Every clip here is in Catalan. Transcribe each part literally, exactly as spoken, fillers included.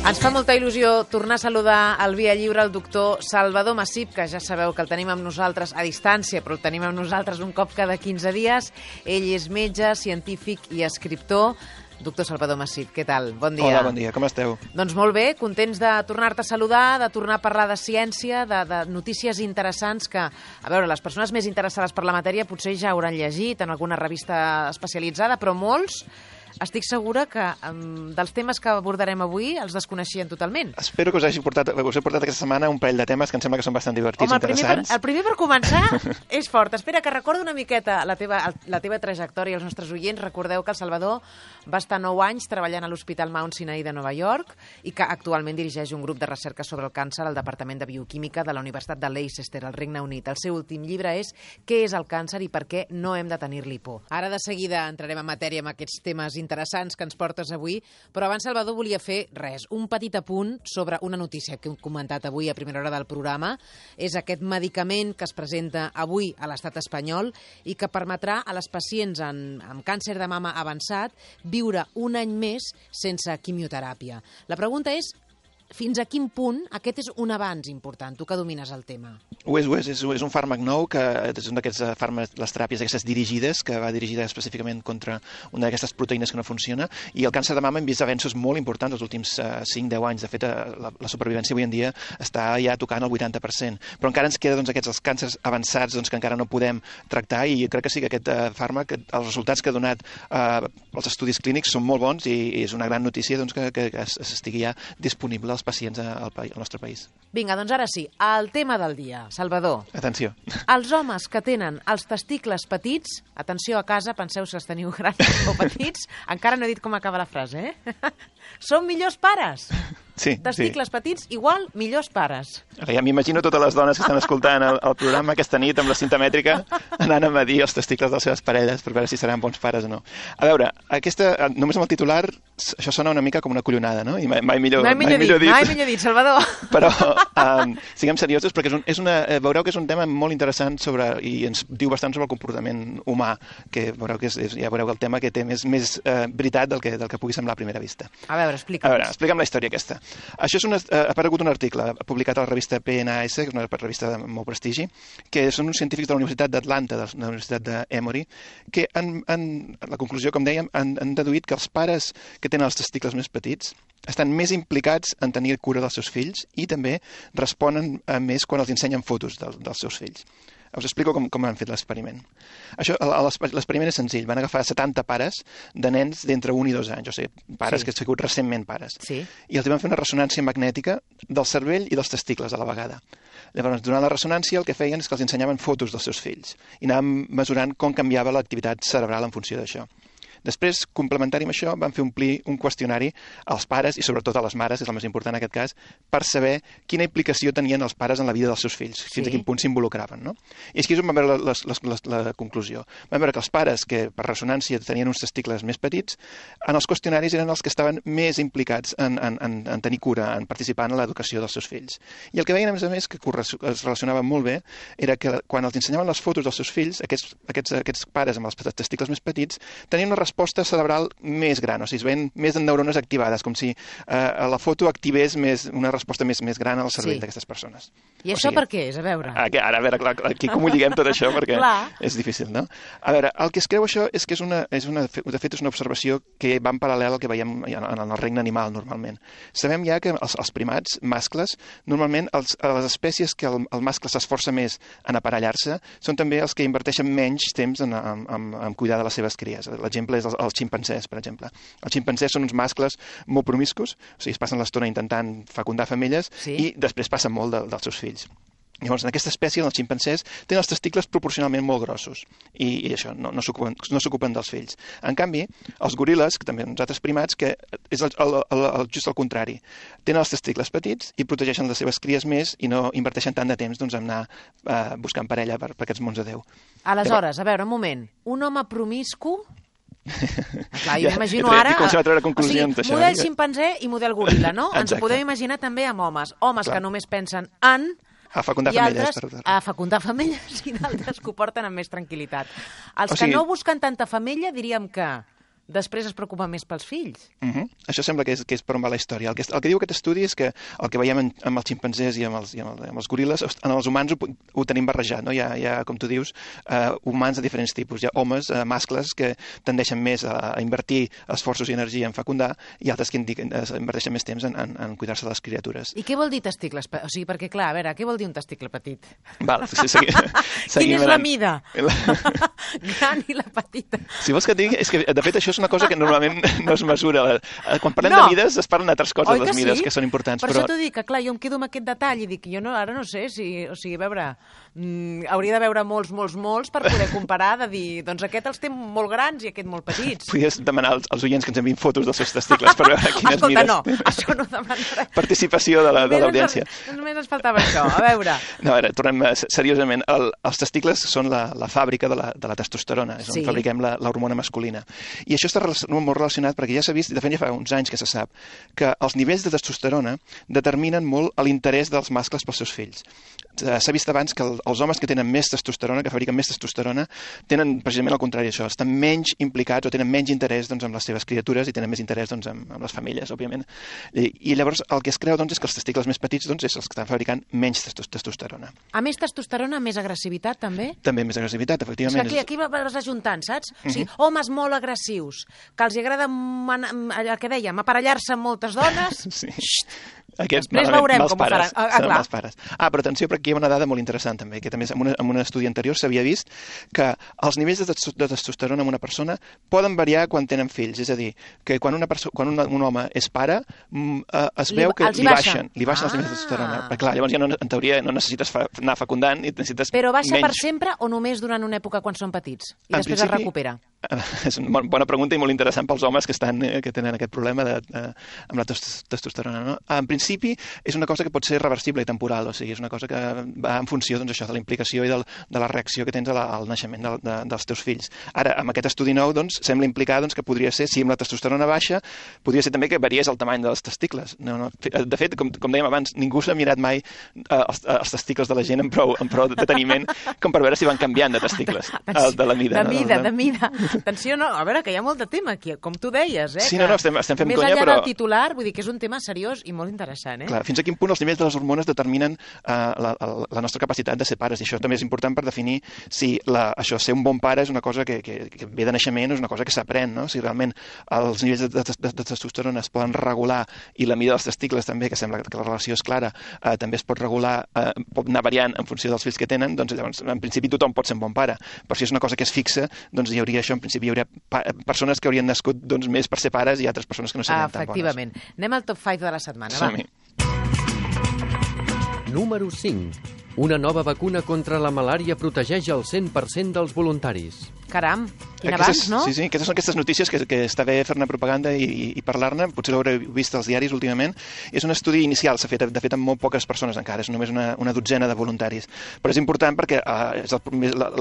Ens fa molta il·lusió tornar a saludar al Via Lliure el doctor Salvador Massip, que ja sabeu que el tenim amb nosaltres a distància, però el tenim amb nosaltres un cop cada quinze dies. Ell és metge, científic i escriptor. Doctor Salvador Massip, què tal? Bon dia. Hola, bon dia. Com esteu? Doncs molt bé, contents de tornar-te a saludar, de tornar a parlar de ciència, de, de notícies interessants que, a veure, les persones més interessades per la matèria potser ja hauran llegit en alguna revista especialitzada, però molts estic segura que um, dels temes que abordarem avui els desconeixien totalment. Espero que us hagi portat, us he portat aquesta setmana un parell de temes que em sembla que són bastant divertits, Home, el interessants. Per, el primer per començar és fort. Espera, que recordo una miqueta la teva, la teva trajectòria. Els nostres oients, recordeu que el Salvador va estar nou anys treballant a l'Hospital Mount Sinai de Nova York i que actualment dirigeix un grup de recerca sobre el càncer al Departament de Bioquímica de la Universitat de Leicester, al Regne Unit. El seu últim llibre és Què és el càncer i per què no hem de tenir-li por. Ara de seguida entrarem en matèria amb aquests temes interessants que ens portes avui, però abans, Salvador, volia fer res, un petit apunt sobre una notícia que hem comentat avui a primera hora del programa. És aquest medicament que es presenta avui a l'estat espanyol i que permetrà a les pacients en, amb càncer de mama avançat viure un any més sense quimioteràpia. La pregunta és, fins a quin punt aquest és un avanç important? Tu que domines el tema. Ho és, ho és. És, és un fàrmac nou, que és un d'aquests fàrmacs, les teràpies aquestes dirigides, que va dirigida específicament contra una d'aquestes proteïnes que no funciona, i el càncer de mama hem vist avenços molt importants els últims uh, cinc a deu anys. De fet, uh, la, la supervivència avui en dia està ja tocant el vuitanta per cent. Però encara ens queda doncs, aquests els càncers avançats doncs, que encara no podem tractar, i crec que sí que aquest uh, fàrmac, els resultats que ha donat uh, els estudis clínics són molt bons, i, i és una gran notícia doncs, que, que, que estigui ja disponible als pacients al, al nostre país. Vinga, doncs ara sí, el tema del dia. Salvador. Atenció. Els homes que tenen els testicles petits, atenció a casa, penseu si els teniu grans o petits, encara no he dit com acaba la frase, eh? Són millors pares. Sí, testicles sí. petits igual millors pares. Ara ja m'imagino totes les dones que estan escoltant el, el programa aquesta nit amb la cinta mètrica anant a medir els testicles de les seves parelles per veure si seran bons pares o no. A veure, aquesta, només amb el titular això sona una mica com una collonada, no? I mai, mai millor, mai millor, mai millor dit, dit. Mai millor dit, Salvador. Però um, siguem seriosos perquè és un, és una, veureu que és un tema molt interessant sobre, i ens diu bastant sobre el comportament humà, que veureu que és, és, ja veureu que el tema que té més, més uh, veritat del que, del que pugui semblar a primera vista. A veure, explica'ns. A veure, explica'm la història aquesta. Això és una, ha aparegut un article publicat a la revista P N A S, que és una revista de molt prestigi, que són uns científics de la Universitat d'Atlanta, de la Universitat d'Emory, que han, han, la conclusió, com dèiem, han, han deduït que els pares que tenen els testicles més petits estan més implicats en tenir cura dels seus fills i també responen més quan els ensenyen fotos del, dels seus fills. Us explico com, com han fet l'experiment. Això, l'experiment és senzill. Van agafar setanta pares de nens d'entre un i dos anys, o sigui, pares sí. que han sigut recentment pares. Sí. I els van fer una ressonància magnètica del cervell i dels testicles a la vegada. Llavors, durant la ressonància, el que feien és que els ensenyaven fotos dels seus fills i anaven mesurant com canviava l'activitat cerebral en funció d'això. Després, complementari amb això, van fer omplir un qüestionari als pares i sobretot a les mares, és el més important en aquest cas, per saber quina implicació tenien els pares en la vida dels seus fills, fins sí. a quin punt s'involucraven. No? I aquí és on vam veure la, la, la, la conclusió. Vam veure que els pares que per ressonància tenien uns testicles més petits, en els qüestionaris eren els que estaven més implicats en, en, en, en tenir cura, en participar en l'educació dels seus fills. I el que veien, a més a més, que es relacionava molt bé, era que quan els ensenyaven les fotos dels seus fills, aquests, aquests, aquests pares amb els testicles més petits, tenien una resposta cerebral més gran, o sigui, es veien més neurones activades, com si eh, la foto activés més, una resposta més, més gran al cervell sí. d'aquestes persones. I o això sigui, per què és? A veure. Ara, a veure, clar, aquí com ho lliguem tot això, perquè és difícil, no? A veure, el que es creu això és que és una, és una, de fet és una observació que va en paral·lel al que veiem en el regne animal, normalment. Sabem ja que els, els primats mascles, normalment els, les espècies que el, el mascle s'esforça més en aparellar-se són també els que inverteixen menys temps en, en, en, en cuidar de les seves cries. L'exemple és els, els ximpancers, per exemple. Els ximpancers són uns mascles molt promiscus, o sigui, es passen l'estona intentant fecundar femelles sí. i després passen molt de, dels seus fills. Llavors, en aquesta espècie, els ximpancers tenen els testicles proporcionalment molt grossos i, i això, no, no s'ocupen no s'ocupen dels fills. En canvi, els goril·les, que també uns altres primats, que és el, el, el, el, just el contrari, tenen els testicles petits i protegeixen les seves cries més i no inverteixen tant de temps doncs, en anar eh, buscant parella per, per aquests mons de Déu. Aleshores, a veure, un moment, un home promiscu... Clar, jo ja, m'imagino ara... Com se va treure o sigui, d'això. Model ximpanzé i model goril·la, no? Exacte. Ens ho podem imaginar també amb homes. Homes Clar. que només pensen en... A fecundar i femelles. altres Per... a fecundar femelles i d'altres que ho porten amb més tranquil·litat. Els o sigui... que no busquen tanta femella diríem que després es preocupa més pels fills. Uh -huh. Això sembla que és, que és per on va la història. El que, el que diu aquest estudi és que el que veiem en, amb els ximpanzés i amb els, i amb, el, amb els goril·les, en els humans ho, ho tenim barrejat, no? Hi ha, hi ha, com tu dius, uh, humans de diferents tipus. Hi ha homes, uh, mascles, que tendeixen més a, a invertir esforços i energia en fecundar, i altres que indiquen, uh, inverteixen més temps en, en, en cuidar-se de les criatures. I què vol dir testicles? O sigui, perquè, clar, a veure, què vol dir un testicle petit? Val, sí, segui, Quina és la mida? Gran i la petita. Si vols que et digui, és que de fet això és una cosa que normalment no es mesura. Quan parlem no. de mides es parlen d'altres coses, Oi les que mides, sí? que són importants. Per però... això t'ho dic, que clar, jo em quedo amb aquest detall i dic, jo no, ara no sé si, o sigui, a veure, mm, hauria de veure molts, molts, molts per poder comparar, de dir, doncs aquest els té molt grans i aquest molt petits. Podries demanar als, als oients que ens enviïn fotos dels seus testicles per veure quines Escolta, mides. no, això no demanarà. Participació de l'audiència. La, només ens faltava això, a veure. No, a veure, tornem a, seriosament. El, els testicles són la, la fàbrica de la, de la testosterona, és on sí. fabriquem l'hormona masculina. I això està molt relacionat perquè ja s'ha vist, de fet ja fa uns anys que se sap, que els nivells de testosterona determinen molt l'interès dels mascles pels seus fills. S'ha vist abans que el, els homes que tenen més testosterona, que fabriquen més testosterona, tenen precisament el contrari d'això, estan menys implicats o tenen menys interès doncs, amb les seves criatures i tenen més interès doncs, amb, amb les famílies, òbviament. I, I llavors el que es creu doncs, és que els testicles més petits doncs, és els que estan fabricant menys testosterona. A més testosterona, més agressivitat, també? També més agressivitat, efectivament. És que aquí, aquí vas ajuntant, saps? Uh -huh. O sigui, homes molt agressius, que els agrada, el que dèiem, aparellar-se amb moltes dones. Sí. Aquests, Després veurem com pares. ho faran. Ah, clar. Pares. Ah, però atenció, perquè hi ha una dada molt interessant també, que també en, una, en un estudi anterior s'havia vist que els nivells de, de testosterona en una persona poden variar quan tenen fills, és a dir, que quan, una quan un, un home és pare mm, eh, es li, veu que li baixen, li baixen ah. els nivells de testosterona. Perquè clar, llavors ja no, en teoria no necessites fa, anar fecundant i necessites Però baixa menys. per sempre o només durant una època quan són petits? I en després principi, es recupera? És una bona pregunta i molt interessant pels homes que, estan, que tenen aquest problema de, de, amb la testosterona. No? En principi, és una cosa que pot ser reversible i temporal, o sigui, és una cosa que va en funció doncs, això, de la implicació i del, de la reacció que tens a la, al naixement de, de, dels teus fills. Ara, amb aquest estudi nou, doncs, sembla implicar doncs, que podria ser, si amb la testosterona baixa, podria ser també que variés el tamany dels testicles. No, no. De fet, com, com dèiem abans, ningú s'ha mirat mai eh, els, els testicles de la gent en prou, en prou deteniment com per veure si van canviant de testicles, el, de la mida. De mida, no? de mida. Atenció, no, a veure, que hi ha molt de tema aquí, com tu deies, eh? Sí, que no, no, estem, estem fent més conya, enllà però... del titular, vull dir que és un tema seriós i molt interessant, eh? Clar, fins a quin punt els nivells de les hormones determinen uh, la, la nostra capacitat de ser pares, i això també és important per definir si la, això, ser un bon pare és una cosa que, que, que ve de naixement, és una cosa que s'aprèn, no? Si realment els nivells de, de, de, de testosterona es poden regular i la mida dels testicles també, que sembla que la relació és clara, uh, també es pot regular, uh, pot anar variant en funció dels fills que tenen, doncs llavors en principi tothom pot ser un bon pare, però si és una cosa que és fixa, doncs hi hauria això, en principi hi hauria persones que haurien nascut doncs, més per ser pares i altres persones que no serien ah, tan bones. Efectivament. Anem al top cinc de la setmana, va. Número cinc. Una nova vacuna contra la malària protegeix el cent per cent dels voluntaris. Caram, quin Aquestes, abans, no? Sí, sí, aquestes són aquestes notícies que, que està bé fer-ne propaganda i, i, i parlar-ne, potser l'haureu vist als diaris últimament. És un estudi inicial, s'ha fet, de fet, amb molt poques persones encara, és només una, una dotzena de voluntaris. Però és important perquè uh, és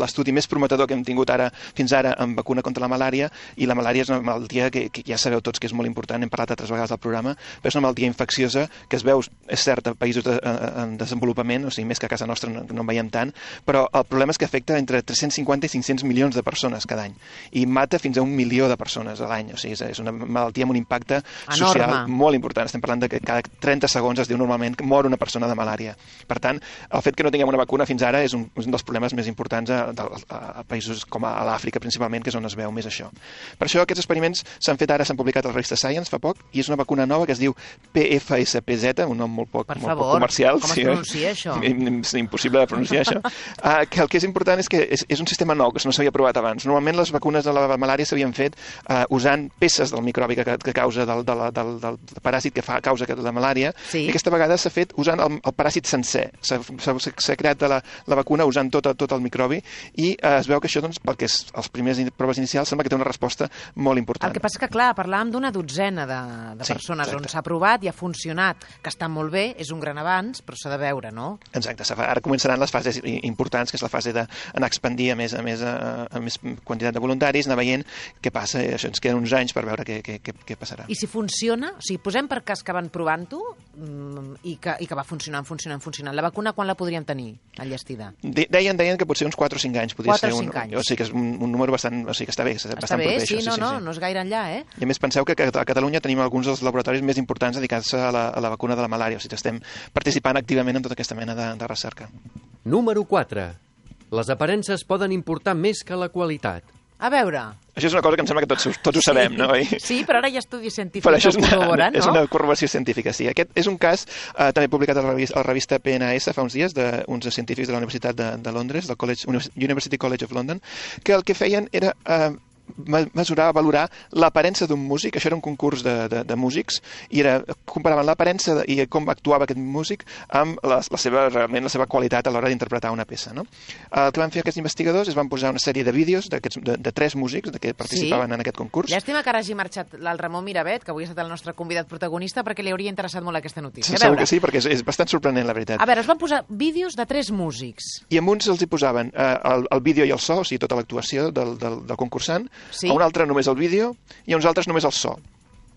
l'estudi més prometedor que hem tingut ara fins ara en vacuna contra la malària, i la malària és una malaltia que, que ja sabeu tots que és molt important, hem parlat altres vegades del programa, però és una malaltia infecciosa que es veu, és cert, en països de, en desenvolupament, o sigui, més que a casa nostra no, no en veiem tant, però el problema és que afecta entre tres-cents cinquanta i cinc-cents milions de persones cada any, i mata fins a un milió de persones a l'any, o sigui, és una malaltia amb un impacte enorme, social molt important. Estem parlant de que cada trenta segons es diu normalment que mor una persona de malària. Per tant, el fet que no tinguem una vacuna fins ara és un, un dels problemes més importants a, a, a països com a, a l'Àfrica, principalment, que és on es veu més això. Per això aquests experiments s'han fet ara, s'han publicat a la revista Science fa poc, i és una vacuna nova que es diu P F S P Z, un nom molt poc, per molt favor, poc comercial. Com sí, es pronuncia, eh? això? És impossible de pronunciar, això. Uh, que el que és important és que és, és un sistema nou, que no s'havia provat abans. Normalment les vacunes de la malària s'havien fet uh, usant peces del microbi que, que causa del, del, del, del paràsit que fa causa la malària, sí. I aquesta vegada s'ha fet usant el, el paràsit sencer. S'ha creat la, la vacuna usant tot, tot el microbi, i uh, es veu que això, doncs, perquè és, els primers proves inicials, sembla que té una resposta molt important. El que passa que, clar, parlàvem d'una dotzena de, de persones, sí, on s'ha provat i ha funcionat, que està molt bé, és un gran avanç, però s'ha de veure, no? Exacte, ara començaran les fases importants, que és la fase d'anar a expandir a més, a més, a, a més quantitat de voluntaris, anar veient què passa, això ens queden uns anys per veure què, què, què, què passarà. I si funciona, o sigui, posem per cas que van provant-ho i, que, i que va funcionant, funcionant, funcionant. La vacuna quan la podríem tenir enllestida? De, deien, deien que potser uns quatre o cinc anys podria quatre ser o un, cinc anys. O sigui que és un, un número bastant, o sigui que està bé, està bastant bé, proper, sí, això, no, sí, no, sí, sí. no és gaire enllà, eh? I a més penseu que a Catalunya tenim alguns dels laboratoris més importants dedicats a la, a la vacuna de la malària, o sigui que estem participant activament en tota aquesta mena de, de recerca. Número quatre. Les aparences poden importar més que la qualitat. A veure... Això és una cosa que em sembla que tots, tots ho sabem, sí, no? Oi? Sí, però ara hi ha estudis científics però això és una, que ho corroboren, no? És una corroboració científica, sí. Aquest és un cas eh, també publicat a la, revista, a la revista P N A S fa uns dies d'uns científics de la Universitat de, de Londres, del College, University College of London, que el que feien era... Eh, mesurar, valorar l'aparença d'un músic. Això era un concurs de, de, de músics i era, comparaven l'aparença i com actuava aquest músic amb la, la seva, realment la seva qualitat a l'hora d'interpretar una peça, no? El que van fer aquests investigadors és van posar una sèrie de vídeos de, de tres músics que participaven sí. en aquest concurs. Llàstima que ara hagi marxat el Ramon Mirabet, que avui ha estat el nostre convidat protagonista, perquè li hauria interessat molt aquesta notícia. Sí, segur que sí, perquè és, és bastant sorprenent, la veritat. A veure, es van posar vídeos de tres músics. I en uns els hi posaven eh, el, el vídeo i el so, o sigui, tota l'actuació del, del, del concursant, sí. A un altre només el vídeo i a uns altres només el so.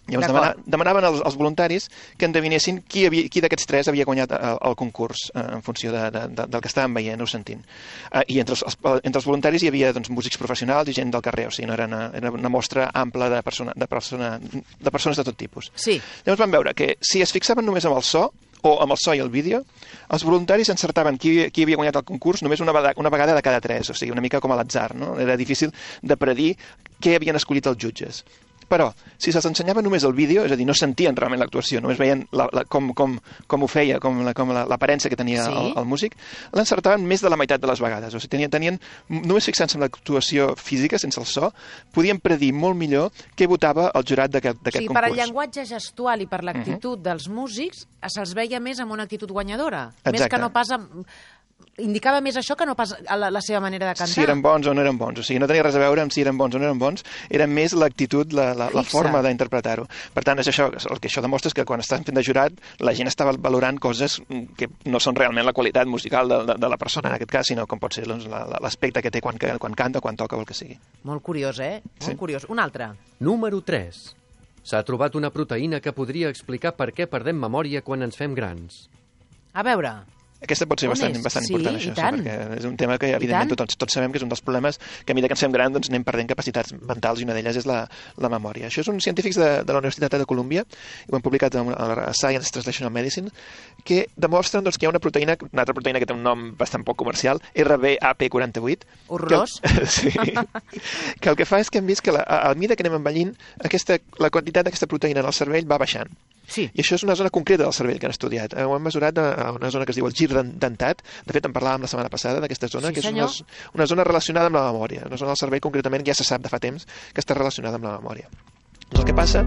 Llavors demana, demanaven als, als voluntaris que endevinessin qui, havia, qui d'aquests tres havia guanyat el, el concurs eh, en funció de, de, de, del que estàvem veient o sentint. Eh, I entre els, els, entre els voluntaris hi havia doncs, músics professionals i gent del carrer, o sigui, no era una, era una mostra ampla de, persona, de, persona, de persones de tot tipus. Sí. Llavors van veure que si es fixaven només amb el so, o amb el so i el vídeo, els voluntaris encertaven qui, qui havia guanyat el concurs només una vegada, una vegada de cada tres, o sigui, una mica com a l'atzar, no? Era difícil de predir què havien escollit els jutges. Però, si se'ls ensenyava només el vídeo, és a dir, no sentien realment l'actuació, només veien la, la, com, com, com ho feia, com l'aparença la, que tenia sí. el, el músic, l'encertaven més de la meitat de les vegades. O sigui, tenien, tenien només fixant-se en l'actuació física, sense el so, podien predir molt millor què votava el jurat d'aquest concurs. O sigui, per al llenguatge gestual i per l'actitud uh -huh. dels músics, se'ls veia més amb una actitud guanyadora. Exacte. Més que no pas amb... Indicava més això que no pas la, la seva manera de cantar. Si eren bons o no eren bons. O sigui, no tenia res a veure amb si eren bons o no eren bons, era més l'actitud, la, la, la forma d'interpretar-ho. Per tant, és això, el que això demostra és que quan estan fent de jurat, la gent està valorant coses que no són realment la qualitat musical de, de, de la persona, en aquest cas, sinó com pot ser doncs, l'aspecte que té quan, quan canta, quan toca o el que sigui. Molt curiós, eh? Molt sí. curiós. Un altre. Número tres. S'ha trobat una proteïna que podria explicar per què perdem memòria quan ens fem grans. A veure... Aquesta pot ser bastant, bastant sí, important, això, sí, perquè és un tema que, evidentment, tots, tots sabem que és un dels problemes que a mesura que ens fem gran doncs, anem perdent capacitats mentals i una d'elles és la, la memòria. Això és uns científics de, de la Universitat de Colúmbia, ho han publicat a la Science Translational Medicine, que demostren doncs, que hi ha una proteïna, una altra proteïna que té un nom bastant poc comercial, R B A P quaranta-vuit. Horrorós. Que, sí, que el que fa és que hem vist que la, a, a mesura que anem envellint, aquesta, la quantitat d'aquesta proteïna en el cervell va baixant. Sí. I això és una zona concreta del cervell que han estudiat. Ho han mesurat a una zona que es diu el gir dentat. De fet, en parlàvem la setmana passada d'aquesta zona, sí, que és una, una zona relacionada amb la memòria. Una zona del cervell, concretament, ja se sap de fa temps que està relacionada amb la memòria. El que passa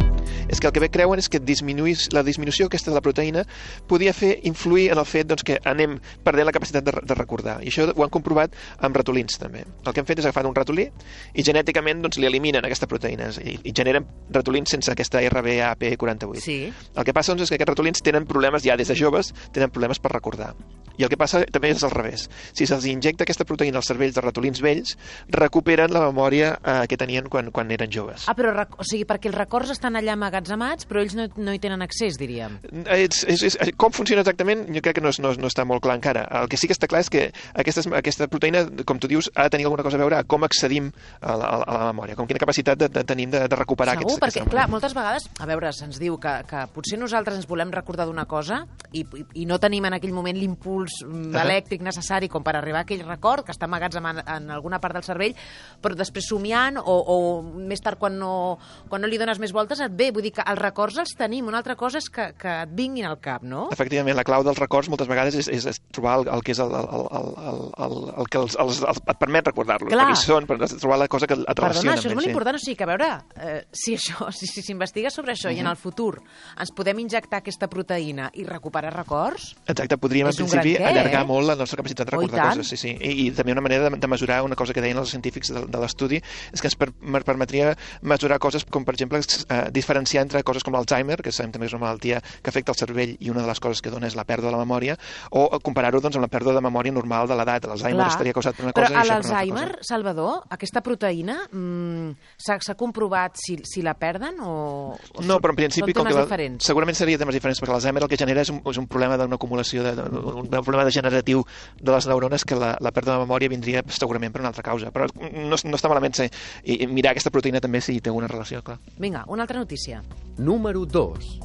és que el que bé creuen és que disminuís, la disminució aquesta de la proteïna podia fer influir en el fet doncs, que anem perdent la capacitat de, de recordar. I això ho han comprovat amb ratolins, també. El que han fet és agafar un ratolí i genèticament doncs, li eliminen aquesta proteïna i, i generen ratolins sense aquesta R B A P quaranta-vuit. Sí. El que passa doncs, és que aquests ratolins tenen problemes ja des de joves, tenen problemes per recordar. I el que passa també és al revés. Si se'ls injecta aquesta proteïna als cervells de ratolins vells, recuperen la memòria eh, que tenien quan, quan eren joves. Ah, però o sigui, perquè els records estan allà amagatzemats, però ells no, no hi tenen accés, diríem. És, és, és, com funciona exactament, jo crec que no, és, no, no està molt clar encara. El que sí que està clar és que aquestes, aquesta proteïna, com tu dius, ha de tenir alguna cosa a veure a com accedim a la, a la memòria, com quina capacitat de, de tenim de, de recuperar Segur, aquests, perquè, clar, moltes vegades, a veure, se'ns diu que, que potser nosaltres ens volem recordar d'una cosa i, i, i no tenim en aquell moment l'impuls uh-huh. elèctric necessari com per arribar a aquell record que està amagats en, en alguna part del cervell, però després somiant o, o més tard quan no, quan no li dones més voltes et ve, vull dir que els records els tenim, una altra cosa és que, que et vinguin al cap, no? Efectivament, la clau dels records moltes vegades és, és, és trobar el, el que és el, el, el, el, el, el que els, els, els, et permet recordar-los, perquè són, per trobar la cosa que et relaciona. Perdona, això és molt sí. important, o sigui que a veure, eh, si això, si s'investiga si sobre això uh-huh. i en el futur ens podem injectar aquesta proteïna i recuperar records... Exacte, podríem en principi què, allargar eh? molt la nostra capacitat de recordar oh, coses, sí, sí. I, i també una manera de, de mesurar una cosa que deien els científics de, de l'estudi és que ens per, permetria mesurar coses com, per exemple, exemple, eh, diferenciar entre coses com l'Alzheimer, que sabem també que és una malaltia que afecta el cervell i una de les coses que dona és la pèrdua de la memòria, o comparar-ho doncs, amb la pèrdua de memòria normal de l'edat. L'Alzheimer estaria causat per una Però cosa i això per una altra l'Alzheimer, cosa. Salvador, aquesta proteïna, mmm, s'ha comprovat si, si la perden o, o no, però en principi, són com que temes la, diferents? segurament seria temes diferents, perquè l'Alzheimer el que genera és un, és un problema d'una acumulació, de, de, un problema degeneratiu de les neurones, que la, la pèrdua de memòria vindria segurament per una altra causa. Però no, no està malament ser, i mirar aquesta proteïna també si té alguna relació, clar. Vinga, una altra notícia. Número dos.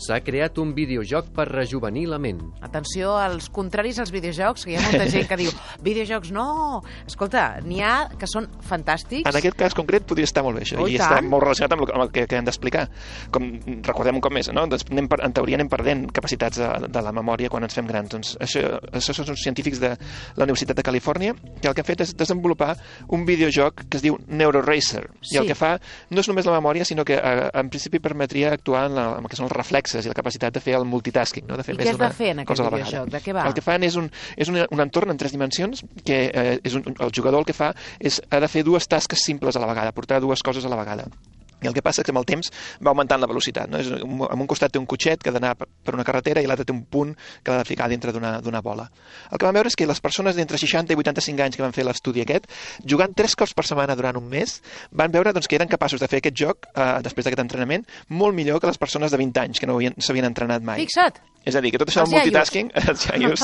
S'ha creat un videojoc per rejuvenir la ment. Atenció als contraris als videojocs, que hi ha molta gent que diu videojocs no! Escolta, n'hi ha que són fantàstics. En aquest cas concret podria estar molt bé això, oh, i, i està molt relacionat amb el, amb el que, que hem d'explicar. Com recordem un cop més, no? Doncs anem per, en teoria anem perdent capacitats de, de la memòria quan ens fem grans. Doncs això, això són uns científics de la Universitat de Califòrnia que el que han fet és desenvolupar un videojoc que es diu NeuroRacer. Sí. I el que fa no és només la memòria, sinó que eh, en principi permetria actuar en, la, en el que són els reflexes i la capacitat de fer el multitasking, no? De fer I més què has de fer en aquest videojoc? De què va? El que fan és un, és un, un entorn en tres dimensions que eh, és un, el jugador el que fa és ha de fer dues tasques simples a la vegada, portar dues coses a la vegada. I el que passa és que amb el temps va augmentant la velocitat. No? És, en un costat té un cotxet que ha d'anar per una carretera i l'altre té un punt que l'ha de ficar dintre d'una bola. El que vam veure és que les persones d'entre seixanta i vuitanta-cinc anys que van fer l'estudi aquest, jugant tres cops per setmana durant un mes, van veure doncs, que eren capaços de fer aquest joc, eh, després d'aquest entrenament, molt millor que les persones de vint anys, que no s'havien entrenat mai. Fixa't! És a dir, que tot això Els del multitasking, els iaios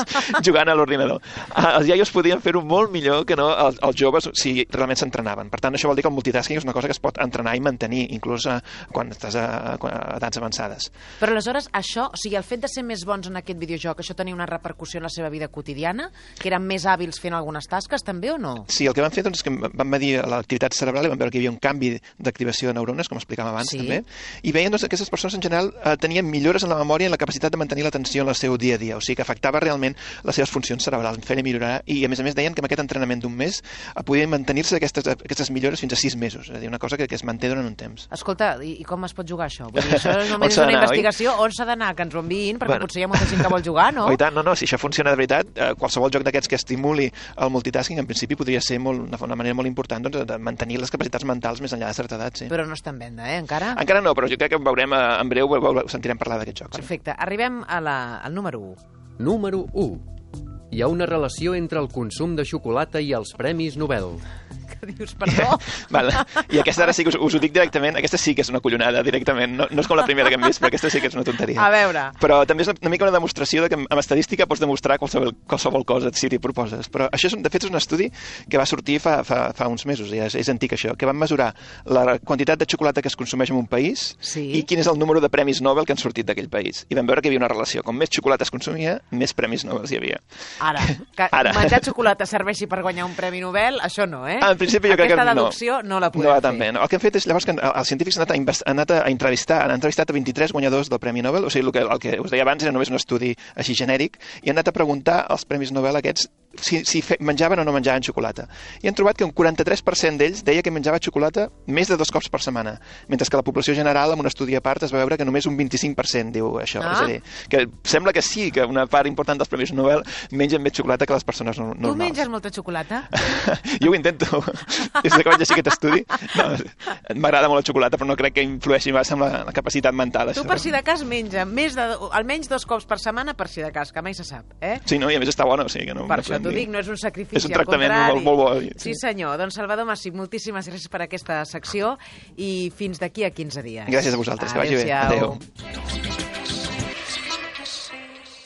jugant a l'ordinador, els iaios podien fer-ho molt millor que no els, els joves si realment s'entrenaven. Per tant, això vol dir que el multitasking és una cosa que es pot entrenar i mantenir, inclús a, quan estàs a, a edats avançades. Però aleshores, això, o sigui, el fet de ser més bons en aquest videojoc, això tenia una repercussió en la seva vida quotidiana? Que eren més hàbils fent algunes tasques, també, o no? Sí, el que van fer doncs, és que van medir l'activitat cerebral i van veure que hi havia un canvi d'activació de neurones, com explicàvem abans, sí. també, i veien doncs, que aquestes persones en general eh, tenien millores en la memòria i en la capacitat de mantenir l'atenció en el seu dia a dia, o sigui que afectava realment les seves funcions cerebrals, en feia millorar, i a més a més deien que amb aquest entrenament d'un mes podien mantenir-se aquestes, aquestes millores fins a sis mesos, és a dir, una cosa que, que es manté durant un temps. Escolta, i, i com es pot jugar això? Vull dir, això només és una investigació, on s'ha d'anar, que ens ho enviïn, perquè bueno, potser hi ha molta gent que vol jugar, no? Oh, i tant, no, no, si això funciona de veritat, eh, qualsevol joc d'aquests que estimuli el multitasking, en principi podria ser molt, una, una manera molt important doncs, de mantenir les capacitats mentals més enllà de certa edat, sí. Però no està en venda, eh, encara? Encara no, però jo crec que veurem eh, en breu, sentirem parlar d'aquest joc. Perfecte, sí. Arribem a la, al número u. Número u. Hi ha una relació entre el consum de xocolata i els Premis Nobel. Que dius, perdó? Vale. I aquesta ara sí que us, us ho dic directament, aquesta sí que és una collonada directament, no, no és com la primera que hem vist, però aquesta sí que és una tonteria. A veure. Però també és una mica una demostració de que amb estadística pots demostrar qualsevol, qualsevol cosa si t'hi proposes. Però això, és, de fet, és un estudi que va sortir fa, fa, fa uns mesos, ja és, és antic això, que van mesurar la quantitat de xocolata que es consumeix en un país sí. i quin és el número de premis Nobel que han sortit d'aquell país. I vam veure que hi havia una relació. Com més xocolata es consumia, més premis Nobel hi havia. Ara, que ara. Menjar xocolata serveixi per guanyar un premi Nobel, això no, eh? En principi jo Aquesta crec que no. No la podem no, fer. També, no. El que han fet és, llavors, que els científics han anat a, invest... han anat a entrevistar, han entrevistat a vint-i-tres guanyadors del Premi Nobel, o sigui, el que, el que us deia abans era només un estudi així genèric, i han anat a preguntar als Premis Nobel aquests si, si fe... menjaven o no menjaven xocolata. I han trobat que un quaranta-tres per cent d'ells deia que menjava xocolata més de dos cops per setmana, mentre que la població general, en un estudi a part, es va veure que només un vint-i-cinc per cent diu això. Ah. És a dir, que sembla que sí, que una part important dels Premis Nobel mengen més xocolata que les persones no, normals. Tu menges molta xocolata? Jo ho intento. Des que vaig llegir aquest estudi, no, m'agrada molt la xocolata, però no crec que influeixi massa amb la, la capacitat mental. Tu, això. Per si de cas, menja més de, almenys dos cops per setmana, per si de cas, que mai se sap, eh? Sí, no, i a més està bona, o sigui que no... Per això t'ho dic, no és un sacrifici, és un tractament molt, molt bo. Sí, senyor. Doncs Salvador Massip, moltíssimes gràcies per aquesta secció i fins d'aquí a quinze dies. Gràcies a vosaltres, que vagi bé. Adéu.